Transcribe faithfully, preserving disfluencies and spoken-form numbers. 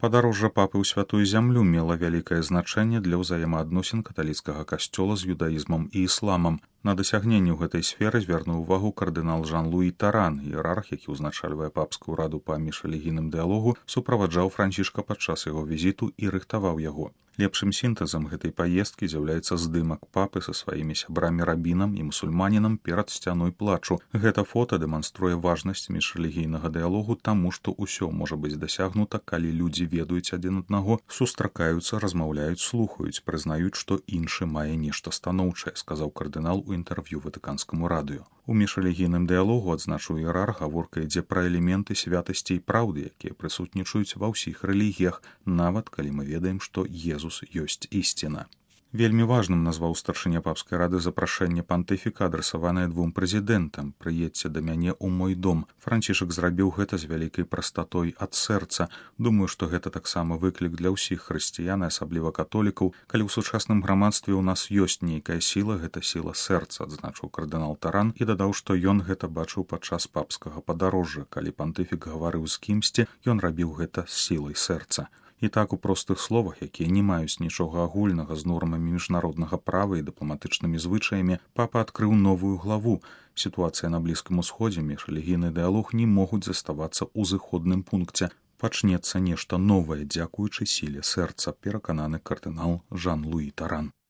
Падарожжа папы ў святую зямлю мела вялікае значэнне для ўзаемаадносін каталіцкага касцёла з юдаізмам і ісламам. На дасягненні ў гэтай сферы звярнуў увагу кардынал Жан-Луі Таран, іерарх, які ўзначальвае папскую раду па міжрэлігійным дыялогу, суправаджаў Францішка падчас яго візіту і рыхтаваў яго. Лепшым сінтэзам гэтай паездкі з'яўляецца здымак папы са сваімі сябрамі-рабінам і мусульманінам перад сцяной плачу. Гэта фота дэманструе важнасць міжрэлігійнага дыялогу таму, што ўсё можа быць дасягнута, калі людзі ведаюць адзін аднаго, сустракаюцца, размаўляюць, слухаюць, прызнаюць, што іншы мае нешта станоўчае, сказаў кардынал у інтэрв'ю ватыканскаму радыё. У міжрэлігійным дыялогу, адзначыў іерарх, гаворка ідзе пра элементы святасці і праўды, якія прысутнічаюць ва ўсіх рэлігіях, нават калі мы ведаем, што Езус ёсць ісціна. Вельмі важным назваў старшыня папскай рады запрашэнне пантыфіка, адрасаванае двум прэзідэнтам: «Прыедзьце да мяне ў мой дом». Францішак зрабіў гэта з вялікай прастатой ад сэрца. Думаю, што гэта таксама выклік для ўсіх хрысціян, асабліва католікаў. Калі ў сучасным грамадстве ў нас ёсць нейкая сіла, гэта сіла сэрца, адзначыў кардынал Таран і дадаў, што ён гэта бачыў падчас папскага падарожжа. Калі пантыфік гаварыў з кімсьці, ён рабіў гэта з сілай сэрца. І так у простых словах, якія не маюць нічога агульнага з нормамі міжнароднага права і дыпламатычнымі звычаямі, папа адкрыў новую главу. Сітуацыя на Блізкім Усходзе, міжрэлігійны дыялог не могуць заставацца ў зыходным пункце. Пачнецца нешта новае, дзякуючы сіле сэрца, перакананы кардынал Жан-Луі Таран.